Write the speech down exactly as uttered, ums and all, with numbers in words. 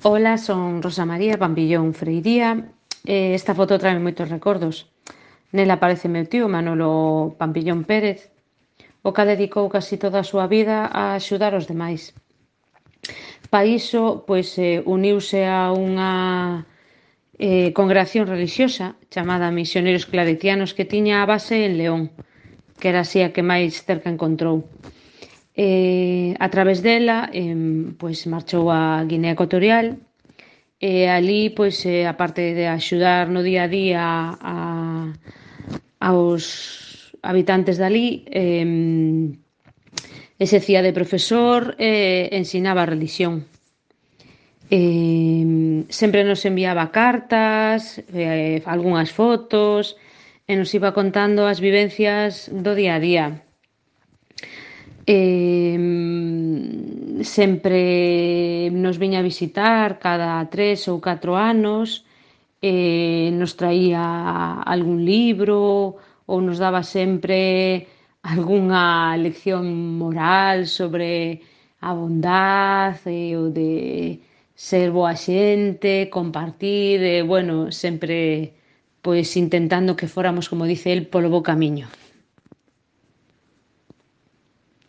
Ola, son Rosa María Pampillón Freiría e esta foto trae moitos recordos. Nela aparece meu tío Manolo Pampillón Pérez, o cal dedicou casi toda a súa vida a axudar os demais. Pa iso, pois, eh, uniuse a unha eh, congregación relixiosa chamada Misioneiros Claretianos que tiña a base en León, que era así a que máis cerca encontrou. Eh, a través dela, eh, pois marchou a Guinea Ecuatorial e alí, pois, eh, aparte de axudar no día a día a, aos habitantes dali, eh, exercía de profesor e ensinaba a relixión. Eh, sempre nos enviaba cartas, eh, algunhas fotos e nos iba contando as vivencias do día a día. Eh, sempre nos viña a visitar cada tres ou catro anos, eh, nos traía algún libro ou nos daba sempre algunha lección moral sobre a bondade e o de ser boa xente, compartir, e, bueno, sempre pois intentando que fóramos, como dice el, polo bo camiño.